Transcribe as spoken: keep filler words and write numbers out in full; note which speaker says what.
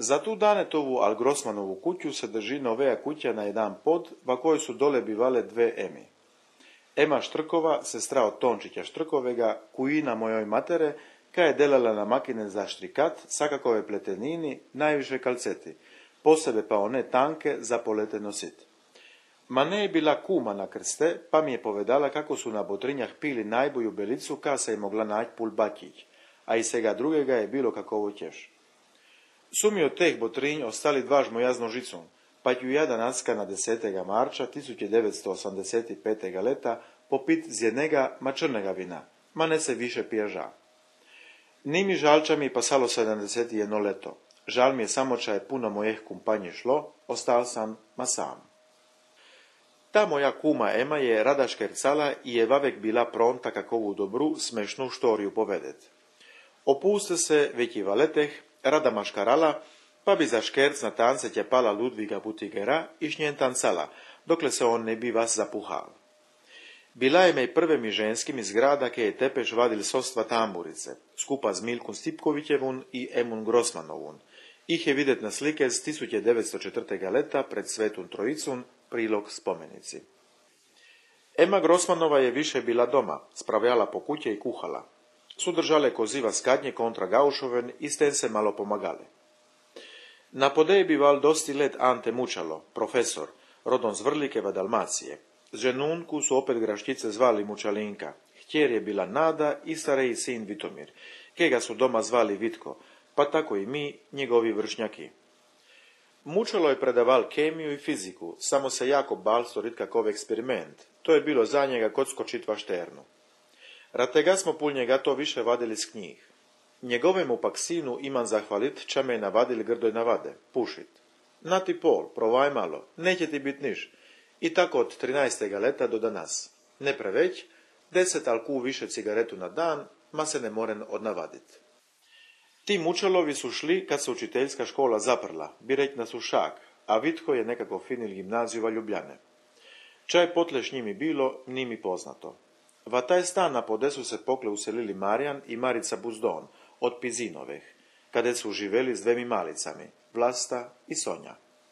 Speaker 1: Za tu Danetovu al Grossmanovu kuću se drži novea kuća na jedan pod, va kojoj su dole bivale dve Emi. Ema Štrkova, sestra od Tončića Štrkovega, kujina mojoj matere, ka je delala na makine za štrikat, sakakove pletenini, najviše kalceti, posebe pa one tanke za polete nosit. Ma ne je bila kuma na krste, pa mi je povedala kako su na Botrinjah pili najboju belicu, ka se je mogla naći pul bakić, a i svega drugega je bilo kakovo ćeš. Su mi od teh Botrinj ostali dva žmojazno žicom, pa ću ja danacka na desetega marča tisuće devetsto osamdeset petega leta popit z jednega mačrnega vina, ma ne se više pijaža. Ni mi žalča mi pasalo sedemdeset jedno leto. Žal mi je samo, če je puno mojih kumpanji šlo, ostal sam ma sam. Ta moja kuma Ema je rada škercala i je vavek bila pronta kakovu dobru, smešnu štoriju povedet. Opuste se veki valeteh, rada maškarala, pa bi za škerc na tance tjepala Ludviga Butigera i šnjen tancala, dokle se on ne bi vas zapuhal. Bila je me prve mi ženskim iz grada, ke je tepeš vadil sostva tamburice, skupa z Milkom Stipkovićevun i Emun Grossmanovun. Ih je videt na slike z tisuće devetsto četvrtega leta pred Svetun Trojicun, prilog spomenici. Ema Grossmanova je više bila doma, spravljala po kuće i kuhala. Sudržale koziva skadnje kontra Gaušoven i sten se malo pomagale. Na podeji bival dosti let Ante Mučalo, profesor, rodom z Vrlikeva Dalmacije. Ženunku su opet graštice zvali Mučalinka. Htjer je bila Nada i stariji sin Vitomir, kega su doma zvali Vitko, pa tako i mi, njegovi vršnjaki. Mučalo je predaval kemiju i fiziku, samo se jako bal storit kakov eksperiment. To je bilo za njega kod skočitva šternu. Ratega smo pul njega to više vadili s knjih. Njegovemu pak sinu imam zahvalit, ča me je navadili grdoj navade, pušit. Na ti pol, provaj malo, neće ti bit niš. I tako od trinaestega leta do danas. Ne preveć, deset alku više cigaretu na dan, ma se ne moren odnavadit. Ti Mučalovi su šli kad se učiteljska škola zaprla, bireć na Sušak, a Vitko je nekako finil gimnaziju va Ljubljane. Čaj potleš njimi bilo, ni mi poznato. Va taj stan na podesu se pokle uselili Marijan i Marica Buzdon, od Pizinoveh, kade su živeli s dvemi malicami, Vlasta i Sonja.